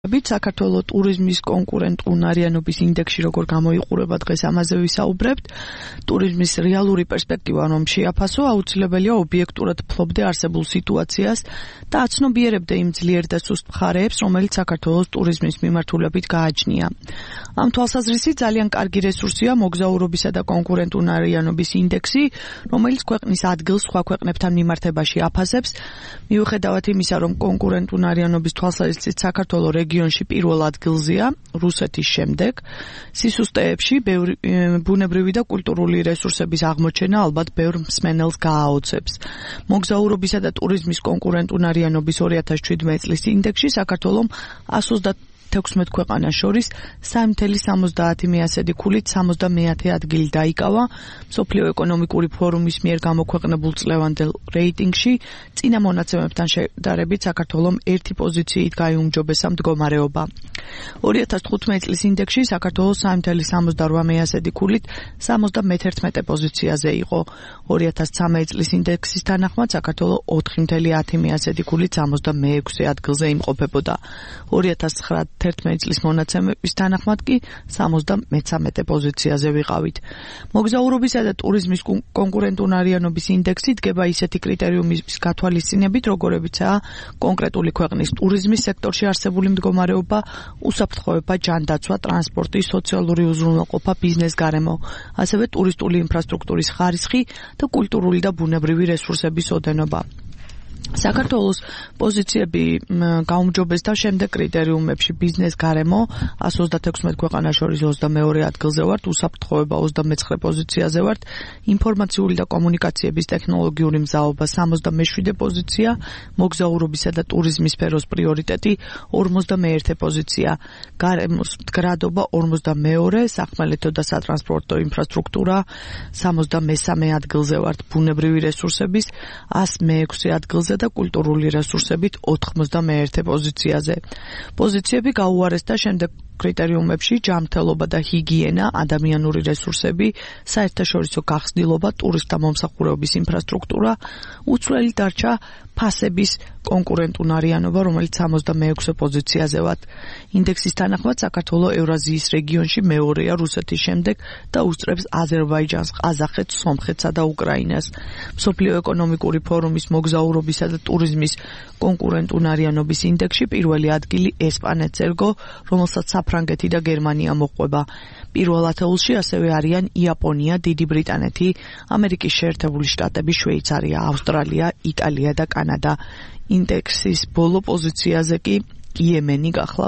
საქართველოს ტურიზმის კონკურენტუნარიანობის ინდექსი როგორ გამოიყურება დღეს ამაზე ვისაუბრებთ. ტურიზმის რეალური პერსპექტივა რომ შეაფასო, აუცილებელია ობიექტურად ფლობდე არსებულ სიტუაციას და აცნობიერებდე იმ ძლიერ და სუსტ მხარეებს, რომელიც საქართველოს ტურიზმის მიმართულებით გააჩნია. ამ თვალსაზრისით ძალიან კარგი რესურსია მოგზაურობისა და კონკურენტუნარიანობის ინდექსი, რომელიც ქვეყნის ადგილს სხვა ქვეყნებთან მიმართებაში აფასებს. მიუხედავად იმისა, რომ კონკურენტუნარიანობის თვალსაზრისით საქართველოს რეგიონში პირველ ადგილზეა, რუსეთის შემდეგ, სისუსტეებში ბუნებრივი და კულტურული რესურსების აღმოჩენა ალბათ ბევრ მსმენელს გააოცებს. მოგზაურობისა და ტურიზმის კონკურენტუნარიანობის 2017 წლის ინდექსში საქართველოს 136 ქვეყანას შორის 3,70 ქულით 70 ადგილი დაიკავა მსოფლიო ეკონომიკური ფორუმის მიერ გამოქვეყნებულ წლევანდელ რეიტინგში. წინა მონაცემებთან შედარებით საქართველოს ერთი პოზიციით გაიუმჯობესა მდგომარეობა. 2015 წლის ინდექსში საქართველოს 3,78 ქულით 71 პოზიციაზე იყო. 2013 წლის ინდექსის თანახმად საქართველოს 4,10 ქულით 66 ადგილზე იმყოფებოდა. 2019 წლის მონაცემების თანახმად კი 73 პოზიციაზე ვიყავით. მოგზაურობისა და ტურიზმის კონკურენტუნარიანობის ინდექსი დგება ისეთი კრიტერიუმის გათვალისწინებით, როგორებიცაა კონკრეტული ქვეყნის ტურიზმის სექტორში არსებული მდგომარეობა, უსაფრთხოება, ჯანდაცვა, ტრანსპორტი, სოციალური უზრუნველყოფა, ბიზნეს გარემო, ასევე ტურისტული ინფრასტრუქტურის ხარისხი და კულტურული და ბუნებრივი რესურსების ოდენობა. საქართველოს პოზიციები გაუმჯობესდა შემდეგ კრიტერიუმებში: ბიზნეს გარემო 136 ქვეყანას შორის 22 ადგილზე ვართ, უსაფრთხოება 29 პოზიციაზე ვართ, ინფორმაციული და კომუნიკაციების ტექნოლოგიური მზაობა 67 პოზიცია, მოგზაურობისა და ტურიზმის სფეროს პრიორიტეტი 51 პოზიცია, გარემოს მდგრადობა 42, სახმელეთო და სატრანსპორტო ინფრასტრუქტურა 63 ადგილზე ვართ, ბუნებრივი რესურსების 106 ადგილზე და კულტურული რესურსებით 91 პოზიციაზე. პოზიციები გაუარესდა შემდეგ კრიტერიუმებში: ჯანმრთელობა და ჰიგიენა, ადამიანური რესურსები, საერთაშორისო გახსნილობა, ტურისტთა მომსახურების ინფრასტრუქტურა. უცვლელი დარჩა ფასების კონკურენტუნარიანობა, რომელიც 66 პოზიციაზე ვართ. ინდექსის თანახმად საქართველოს ევრაზიის რეგიონში მეორეა რუსეთის შემდეგ და უსწრებს აზერბაიჯანს, ყაზახეთს, სომხეთსა და უკრაინას. მსოფლიო ეკონომიკური ფორუმის მოგზაურობისა და ტურიზმის კონკურენტუნარიანობის ინდექსში პირველი ადგილი ესპანეთს ერგო, რომელსაც საფრანგეთი და გერმანია მოჰყვება. პირველ ათეულში ასევე არიან იაპონია, დიდი ბრიტანეთი, ამერიკის შეერთებული შტატები, შვეიცარია, ავსტრალია, იტალია და კანადა. ინდექსის ბოლო პოზიციაზე კი იემენი გახლავთ.